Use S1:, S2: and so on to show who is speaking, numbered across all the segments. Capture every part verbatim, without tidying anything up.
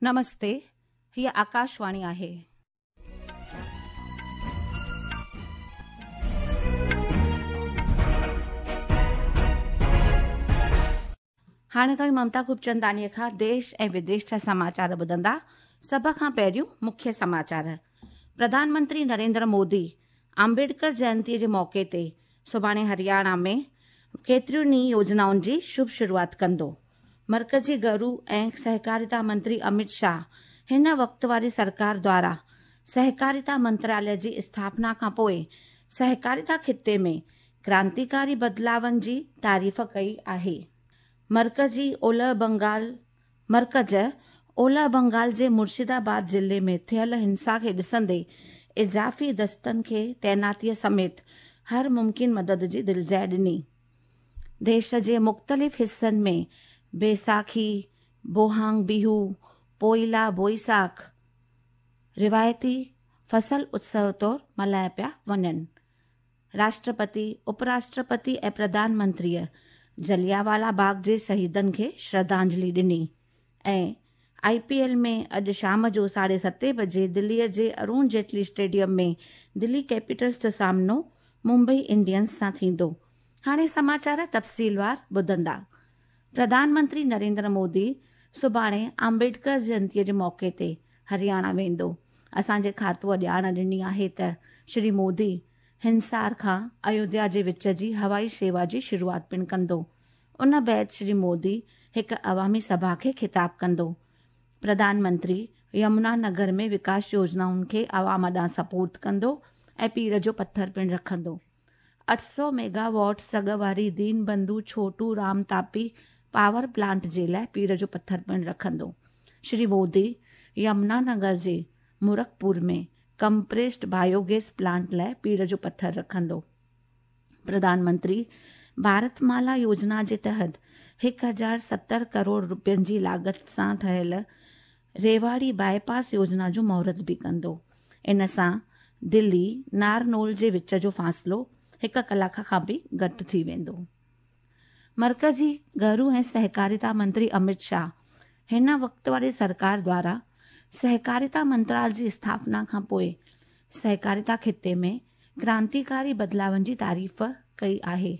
S1: नमस्ते, हीअ आकाशवाणी आहे. हाणे तव्हां ममता खूबचंदानीअ खां देश ऐं विदेश जा समाचार ॿुधंदा. सभ खां पहिरियों मुख्य समाचार. प्रधानमंत्री नरेंद्र मोदी आम्बेडकर जयंतीअ जे मौक़े ते सुभाणे हरियाणा में केतिरियुनि ई योजनाउनि जी शुभ शुरूआत कंदो. मर्कज़ी घरू ऐं सहकारिता मंत्री अमित शाह हिन वक़्त वारी सरकार द्वारा सहकारिता मंत्रालय जी स्थापना खां पोइ सहकारिता ख़िते में क्रांतिकारी बदिलावनि जी तारीफ़ कई आहे. मर्कज़ी ओलह बंगाल मर्कज़ ओलह बंगाल जे मुर्शिदाबाद ज़िले में थियल हिंसा खे ॾिसंदे इज़ाफ़ी दस्तनि खे तैनातीअ समेत हर मुमकिन मदद जी दिलजाइ ॾिनी. देश जे मुख़्तलिफ़ हिसनि में बैसाखी, बोहांग बिहू, पोइला बोईसाख रिवायती फसल उत्सव तौर मल्हाया पिया वञनि. राष्ट्रपति, उपराष्ट्रपति ऐं प्रधानमंत्रीअ जलियांवाला बाग़ जे शहीदनि खे श्रद्धांजलि ॾिनी. ऐं I P L में अॼु शाम जो साढे सते बजे दिल्लीअ जे अरुण जेटली स्टेडियम में दिल्ली कैपिटल्स जो सामनो मुंबई इंडियंस सां थींदो. हाणे समाचार तफ़सीलवार ॿुधंदा. प्रधानमंत्री नरेंद्र मोदी सुभाणे आम्बेडकर जयंतीअ जे मौक़े ते हरियाणा वेंदो. असांजे खातूअ ॼाण ॾिनी आहे त श्री मोदी हिंसार खां अयोध्या जे विच जी हवाई शेवा जी शुरूआत पिणु कंदो. उन बाद श्री मोदी हिकु अवामी सभा खे ख़िताब कंदो. प्रधानमंत्री यमुना नगर में विकास योजनाउनि खे आवाम ॾांहुं सपोर्ट कंदो ऐं पीड़ जो पथर पिणु रखंदो. अठ सौ मेगावाट सघ वारी दीन बंधु छोटू राम तापी पावर प्लांट जे लाइ पीड़ जो पथर पिणु रखंदो. श्री मोदी यमुना नगर जे मुरखपुर में कंप्रेस्ड बायोगैस प्लांट लाइ पीड़ जो पथर रखंदो. प्रधानमंत्री भारतमाला योजना जे तहत हिकु हज़ार सतरि करोड़ रुपयनि जी लागत सां ठहियल रेवाड़ी बाईपास योजना जो मुहूर्त बि कंदो. इन सां दिल्ली नारनौल जे विच जो फ़ासिलो हिकु कलाक खां बि घटि थी वेंदो. मर्कज़ी घरू ऐं सहकारिता मंत्री अमित शाह हिन वक़्त वारी सरकार द्वारा सहकारिता मंत्रालय जी स्थापना खां पोइ सहकारिता ख़िते में क्रांतिकारी बदिलावनि जी तारीफ़ कई आहे.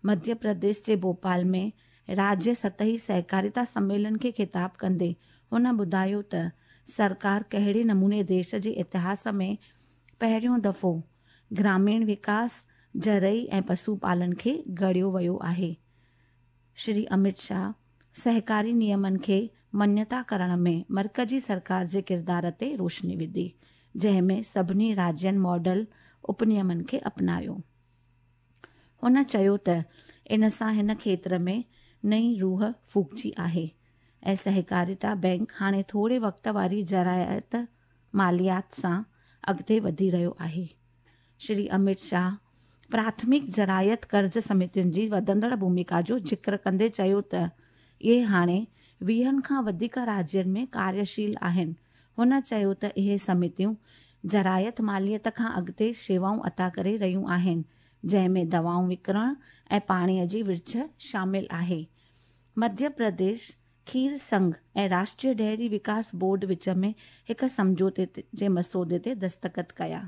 S1: मध्य प्रदेश जे भोपाल में राज्य सतही सहकारिता सम्मेलन खे ख़िताब कंदे हुन ॿुधायो त सरकार कहिड़े नमूने देश जे इतिहास में पहिरियों दफ़ो ग्रामीण विकास, ज़रई ऐं पशु पालन खे गड़ियो वियो आहे. श्री अमित शाह सहकारी नियमनि खे मन्यता करण में मर्कज़ी सरकार जे किरदार ते रोशनी विधी, जंहिं में सभिनी राज्यनि मॉडल उपनियमनि खे अपनायो. हुन चयो त इन सां हिन क्षेत्र में नई रूह फूकिजी आहे ऐं सहकारिता बैंक हाणे थोरे वक़्त वारी ज़रायत मालियात सां अॻिते वधी रहियो आहे. श्री अमित शाह प्राथमिक ज़रायत कर्ज़ समितियुनि जी वधंदड़ भूमिका जो ज़िक्र कंदे चयो त इहे हाणे वीहनि खां वधीक राज्यनि में कार्यशील आहिनि. हुन चयो त इहे समितियूं ज़रायत मालियत खां अॻिते शेवाऊं अता करे रहियूं आहिनि, जंहिं में दवाऊं विकिरणु ऐं पाणीअ जी विर्छ शामिल आहे. मध्य प्रदेश खीर संघ ऐं राष्ट्रीय डेयरी विकास बोर्ड विच में हिकु सम्झौते जे मसौदे ते दस्तख़त कया.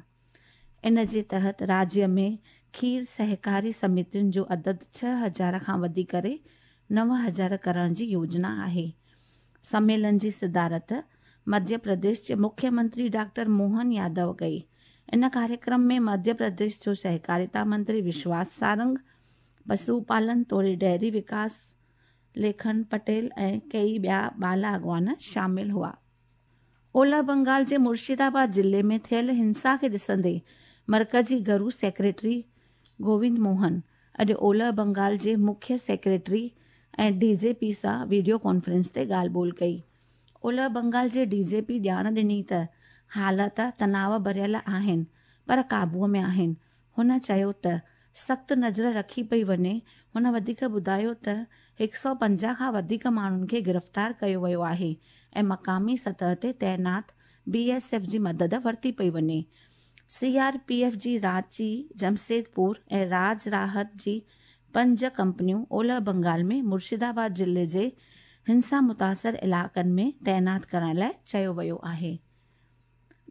S1: इन जे तहत राज्य में खीर सहकारी समितियुनि जो अदद छह हज़ार खां वधी करे नव हज़ार करण जी योजना आहे. सम्मेलन जी सदारत मध्य प्रदेश जे मुख्यमंत्री डॉक्टर मोहन यादव कई. इन कार्यक्रम में मध्य प्रदेश जो सहकारिता मंत्री विश्वास सारंग, पशुपालन तोड़े डेयरी विकास लेखन पटेल ऐं कई ॿिया बाला अॻवान शामिल हुआ. ओलह बंगाल जे मुर्शिदाबाद ज़िले में थियल हिंसा खे ॾिसंदे मर्कज़ी घरू सेक्रेटरी गोविंद मोहन अॼु ओलह बंगाल जे मुख्य सेक्रेटरी ऐं डी जे पी सां वीडियो कॉन्फ्रेंस ते ॻाल्हि ॿोल कई. ओलह बंगाल जे डी जे पी ॼाण ॾिनी त हालत तनाव भरियल आहिनि पर क़ाबूअ में आहिनि. हुन चयो त सख़्तु नज़र रखी पई वञे. हुन वधीक ॿुधायो त हिकु सौ पंजाह खां वधीक माण्हुनि खे गिरफ़्तार कयो वियो आहे ऐं मक़ामी सतह ते तैनात बी एस एफ जी मदद वरिती पई वञे. सी आर पी एफ जी रांची, जमशेदपुर ऐं राज राहत जी पंज कंपनियूं ओलह बंगाल में मुर्शिदाबाद ज़िले जे हिंसा मुतासिर इलाइक़नि में तैनात करण लाइ चयो वियो आहे।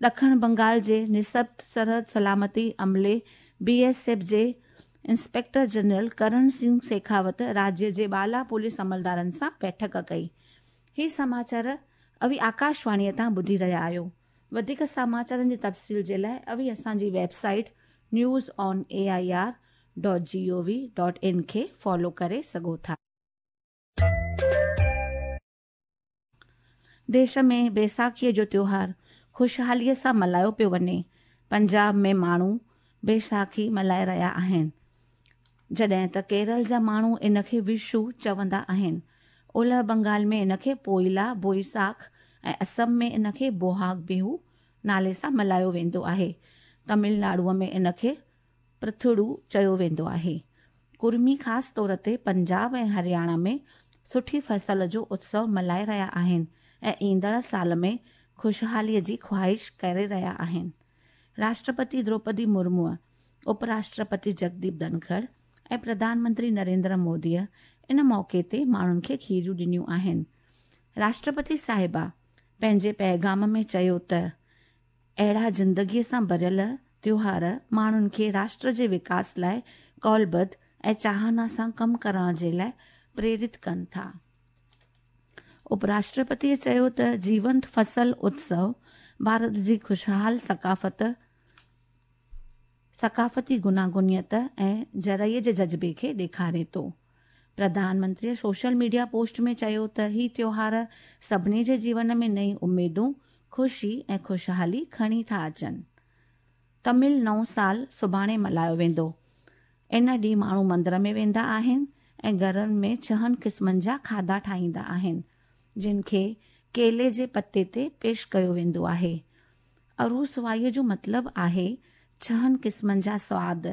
S1: ॾखण बंगाल जे निसब सरहद सलामती अमले बी एस एफ जे इंस्पेक्टर जनरल करण सिंह शेखावत राज्य जे बाला पुलिस अमलदारनि सां बैठक कई। ही समाचार अवी आकाशवाणीअ तां ॿुधी रहिया आहियो। वधीक समाचारनि जी तफ़सील जे लाइ अवी असांजी website news on A I R dot G O V dot in खे फॉलो करे सघो था। देश में बैसाखीअ जो त्योहार ख़ुशहालीअ सां मल्हायो पियो वञे। पंजाब में माण्हू बैसाखी मल्हाए रहिया आहिनि, जॾहिं त केरल जा माण्हू इन खे विशु चवंदा आहिनि। ओलह बंगाल में इन खे पोइला बोईसाख ऐं असम में इन खे बोहाग बिहू नाले सां मल्हायो वेंदो आहे। तमिलनाडुअ में इन खे पृथुड़ू चयो वेंदो आहे। कुर्मी ख़ासि तौर ते पंजाब ऐं हरियाणा में सुठी फसल जो उत्सव मल्हाए रहिया आहिनि ऐं ईंदड़ साल में ख़ुशहालीअ जी ख़्वाहिश करे रहिया आहिनि। राष्ट्रपति द्रौपदी मुर्मूअ, उपराष्ट्रपति जगदीप धनखड़ ऐं प्रधानमंत्री नरेंद्र मोदीअ इन मौक़े ते माण्हुनि खे खीरियूं ॾिनियूं आहिनि। राष्ट्रपति साहिबा पंहिंजे पैगाम में चयो त अहिड़ा ज़िंदगीअ सां भरियल त्योहार माण्हुनि खे राष्ट्र जे विकास लाइ कौलबद्ध ऐं चाहना सां कमु करण जे लाइ प्रेरित कनि था। उपराष्ट्रपतीअ चयो त जीवंत फसल उत्सव भारत जी ख़ुशहाल सकाफ़त सकाफ़ती गुनागुनियत ऐं ज़रई जे जज़्बे खे ॾेखारे थो। प्रधानमंत्रीअ सोशल मीडिया पोस्ट में चयो त ही त्योहार सभिनी जे जीवन में नई उमेदूं, ख़ुशी ऐं ख़ुशहाली खणी था अचनि। तमिल नओं साल सुभाणे मल्हायो वेंदो। इन ॾींहुं माण्हू मंदर में वेंदा आहिनि ऐं घरनि में छहनि क़िस्मनि जा खाधा ठाहींदा आहिनि, जिन खे केले जे पते ते पेश कयो वेंदो आहे। अरूस वाईअ जो मतिलबु आहे छहनि क़िस्मनि जा सुवाद,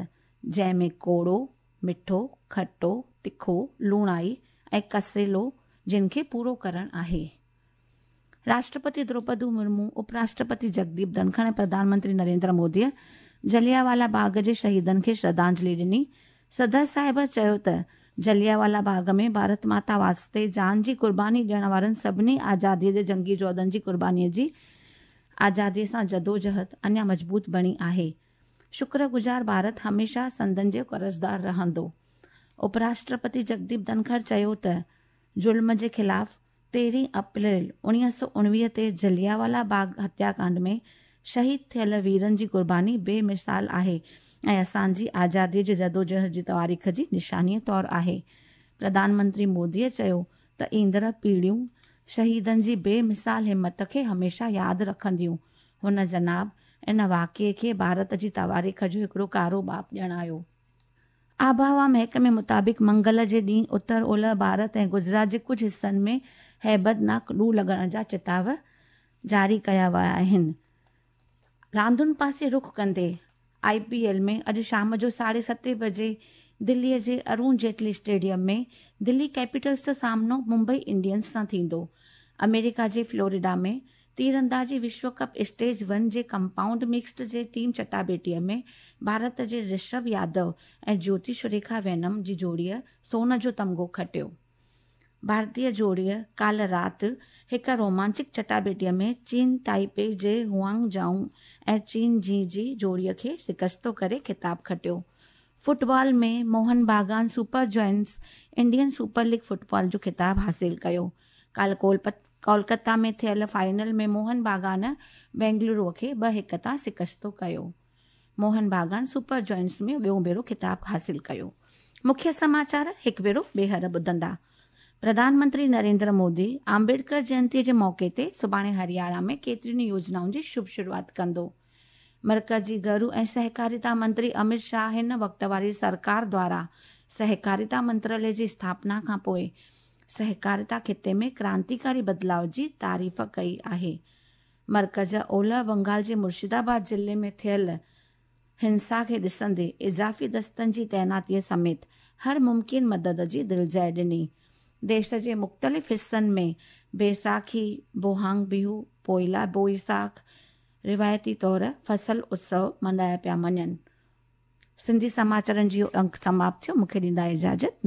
S1: जंहिंमें कोड़ो, मिठो, खटो, तिखो, लूणाई ऐं कसेलो, जिन खे पूरो करणु आहे। राष्ट्रपति द्रौपदी मुर्मू, उपराष्ट्रपति जगदीप धनखड़ ऐं प्रधानमंत्री नरेंद्र मोदीअ जलियांवाला बाग़ जे शहीदनि खे श्रद्धांजलि ॾिनी। सदर साहिब चयो त जलियांवाला बाग़ में भारत माता वास्ते जान जी क़ुर्बानी ॾियण वारनि सभिनी आज़ादीअ जे जंगी जोधनि जी क़ुर्बानीअ जी आज़ादीअ सां जदोजहद अञा मज़बूत बणी आहे। शुक्रगुज़ार भारत हमेशह संदन जो कर्ज़दार रहंदो। उपराष्ट्रपति जगदीप धनखड़ चयो त ज़ुल्म जे ख़िलाफ़ तेरहीं अप्रैल उणिवीह सौ उणिवीह ते जलियांवाला बाग़ हत्याकांड में शहीद थियल वीरनि जी क़ुर्बानी बेमिसाल आहे ऐं असांजी आज़ादीअ जे जदोजहद जी तारीख़ जी निशानीअ तौरु आहे। प्रधानमंत्री मोदीअ चयो त ईंदड़ पीढ़ियूं शहीदनि जी बेमिसाल हिमत खे हमेशह यादि रखंदियूं। हुन जनाब इन वाक़िए खे भारत जी तवारीख़ जो हिकिड़ो कारो बाप ॼाणायो। आबहवा महकमे मुताबिक़ मंगल जे ॾींहुं उत्तर ओलह भारत ऐं गुजरात जे कुझु हिसनि में हैबतनाक लू लॻण जा चिताव जारी कया विया आहिनि। रांदुनि पासे रुख कंदे I P L में अॼु शाम जो साढे सते बजे दिल्लीअ जे अरुण जेटली स्टेडियम में दिल्ली कैपिटल्स जो सामनो मुंबई इंडियंस सां थींदो। अमेरिका जे फ्लोरिडा में तीरंदाजी विश्व कप स्टेज वन जे कंपाउंड मिक्स्ड जे टीम चटाबेटीअ में भारत जे ऋषभ यादव ऐं ज्योति सुरेखा वेनम जी जोड़ीअ सोन जो तमगो खटियो। भारतीय जोड़ीअ काल्ह राति हिकु रोमांचिक चटाबेटीअ में चीन ताइपे जे हुआंग जाओ ऐं चीन जी जी जोड़ीअ खे शिकस्तो करे ख़िताब खटियो। फुटबॉल में Mohun Bagan super giants Indian super league football जो ख़िताब हासिल कयो। काल्ह कोलकाता में थियल फाइनल में मोहन बागान बेंगलुरु खे ॿ हिकु तां शिकस्तो कयो। मोहन बागान सुपर जॉइंट्स में ॿियों भेरो ख़िताब हासिल कयो। मुख्य समाचार हिकु भेरो ॿीहर ॿुधंदा। प्रधानमंत्री नरेंद्र मोदी आम्बेडकर जयंतीअ जे मौक़े ते सुभाणे हरियाणा में केतिरियुनि योजनाउनि जी शुभ शुरुआत कंदो। मर्कज़ी घरू ऐं सहकारिता मंत्री अमित शाह हिन वक़्त वारी सरकार द्वारा सहकारिता मंत्रालय जी स्थापना खां पोइ सहकारिता ख़िते में क्रांतिकारी बदिलाव जी तारीफ़ कई आहे। मर्कज़ ओलह बंगाल जे मुर्शिदाबाद ज़िले में थियल हिंसा खे ॾिसंदे इज़ाफ़ी दस्तनि जी तैनातीअ समेत हर मुमकिन मदद जी दिलजाइ ॾिनी। देश जे मुख़्तलिफ़ हिसनि में बैसाखी, बोहांग बिहू, पोइला बोईसाख रिवायती तौर फसल उत्सव मल्हाया पिया वञनि। सिंधी समाचारनि जो अंक समाप्त थियो। मूंखे ॾींदा इजाज़त।